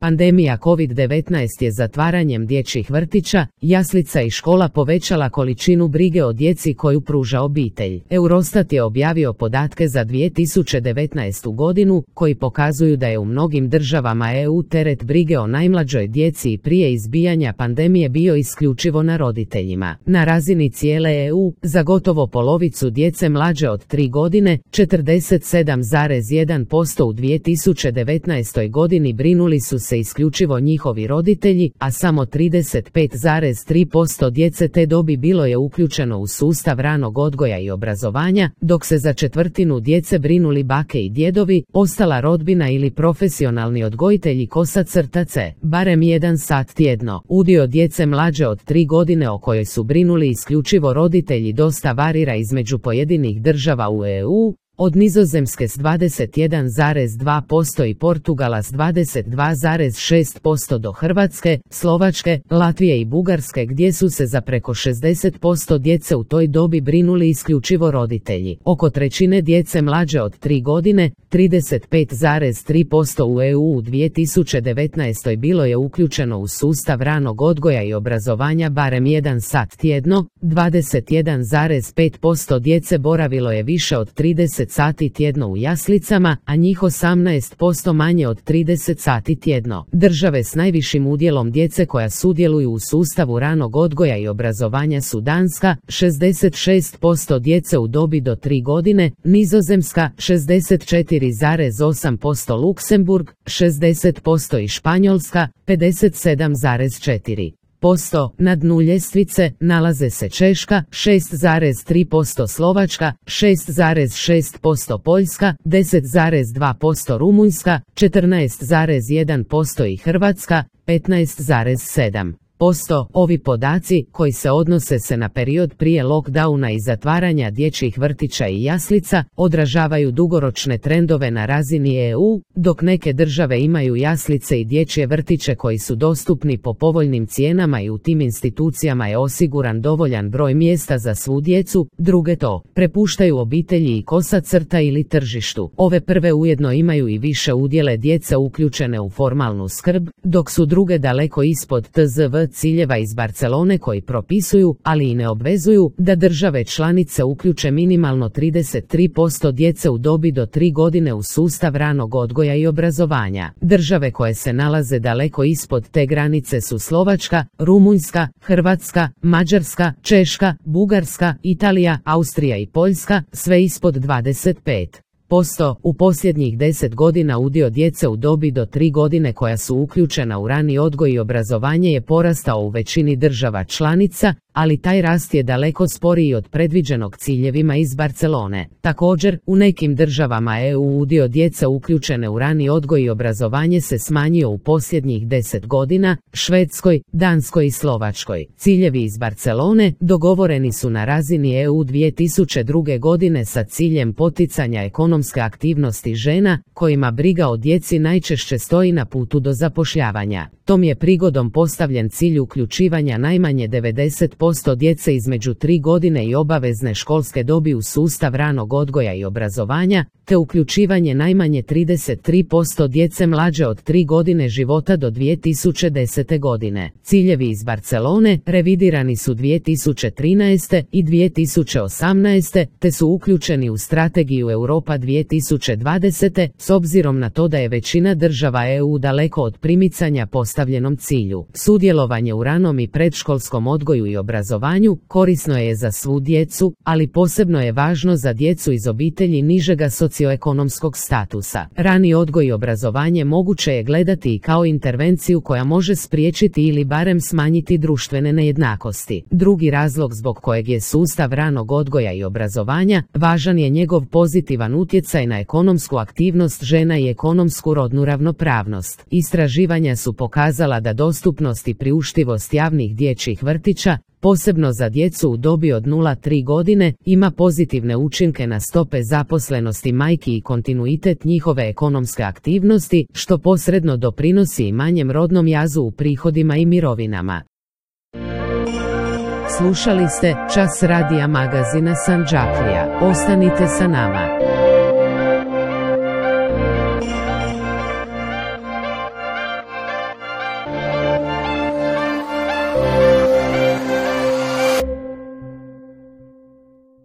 Pandemija COVID-19 je zatvaranjem dječjih vrtića, jaslica i škola povećala količinu brige o djeci koju pruža obitelj. Eurostat je objavio podatke za 2019. godinu koji pokazuju da je u mnogim državama EU teret brige o najmlađoj djeci i prije izbijanja pandemije bio isključivo na roditeljima. Na razini cijele EU, za gotovo polovicu djece mlađe od 3 godine, 47,1% u 2019. godini brinuli su se isključivo njihovi roditelji, a samo 35,3% djece te dobi bilo je uključeno u sustav ranog odgoja i obrazovanja, dok se za četvrtinu djece brinuli bake i djedovi, ostala rodbina ili profesionalni odgojitelji kosa-crtace, barem 1 sat tjedno. Udio djece mlađe od 3 godine o kojoj su brinuli isključivo roditelji dosta varira između pojedinih država u EU, od Nizozemske s 21,2% i Portugala s 22,6% do Hrvatske, Slovačke, Latvije i Bugarske gdje su se za preko 60% djece u toj dobi brinuli isključivo roditelji. Oko trećine djece mlađe od 3 godine, 35,3% u EU u 2019. bilo je uključeno u sustav ranog odgoja i obrazovanja barem 1 sat tjedno, 21,5% djece boravilo je više od 30 sati tjedno u jaslicama, a njih 18% manje od 30 sati tjedno. Države s najvišim udjelom djece koja sudjeluju u sustavu ranog odgoja i obrazovanja su Danska, 66% djece u dobi do 3 godine, Nizozemska, 64,8%, Luksemburg, 60% i Španjolska, 57,4%. Na dnu ljestvice nalaze se Češka, 6,3%, Slovačka, 6,6%, Poljska, 10,2%, Rumunjska, 14,1% i Hrvatska, 15,7%. Ovi podaci, koji se odnose na period prije lockdowna i zatvaranja dječjih vrtića i jaslica, odražavaju dugoročne trendove na razini EU, dok neke države imaju jaslice i dječje vrtiće koji su dostupni po povoljnim cijenama i u tim institucijama je osiguran dovoljan broj mjesta za svu djecu, druge to prepuštaju obitelji i kosa-crta ili tržištu. Ove prve ujedno imaju i više udjele djece uključene u formalnu skrb, dok su druge daleko ispod TZV ciljeva iz Barcelone koji propisuju, ali i ne obvezuju, da države članice uključe minimalno 33% djece u dobi do 3 godine u sustav ranog odgoja i obrazovanja. Države koje se nalaze daleko ispod te granice su Slovačka, Rumunjska, Hrvatska, Mađarska, Češka, Bugarska, Italija, Austrija i Poljska, sve ispod 25%. U posljednjih 10 godina udio djece u dobi do 3 godine koja su uključena u rani odgoj i obrazovanje je porastao u većini država članica, ali taj rast je daleko sporiji od predviđenog ciljevima iz Barcelone. Također, u nekim državama EU udio djece uključene u rani odgoj i obrazovanje se smanjio u posljednjih 10 godina, Švedskoj, Danskoj i Slovačkoj. Ciljevi iz Barcelone dogovoreni su na razini EU 2002. godine sa ciljem poticanja ekonomske aktivnosti žena, kojima briga o djeci najčešće stoji na putu do zapošljavanja. Tom je prigodom postavljen cilj uključivanja najmanje 90% djece između 3 godine i obavezne školske dobi u sustav ranog odgoja i obrazovanja, te uključivanje najmanje 33% djece mlađe od 3 godine života do 2010. godine. Ciljevi iz Barcelone revidirani su 2013. i 2018. te su uključeni u strategiju Europa 2020. s obzirom na to da je većina država EU daleko od primicanja postavljenom cilju. Sudjelovanje u ranom i predškolskom odgoju i obrazovanju korisno je za svu djecu, ali posebno je važno za djecu iz obitelji nižega socioekonomskog statusa. Rani odgoj i obrazovanje moguće je gledati i kao intervenciju koja može spriječiti ili barem smanjiti društvene nejednakosti. Drugi razlog zbog kojeg je sustav ranog odgoja i obrazovanja važan je njegov pozitivan utjecaj na ekonomsku aktivnost žena i ekonomsku rodnu ravnopravnost. Istraživanja su pokazala da dostupnost i priuštivost javnih dječjih vrtića, posebno za djecu u dobi od 0-3 godine, ima pozitivne učinke na stope zaposlenosti majki i kontinuitet njihove ekonomske aktivnosti, što posredno doprinosi i manjem rodnom jazu u prihodima i mirovinama. Slušali ste Čas radija magazina Sandžaklija. Ostanite sa nama.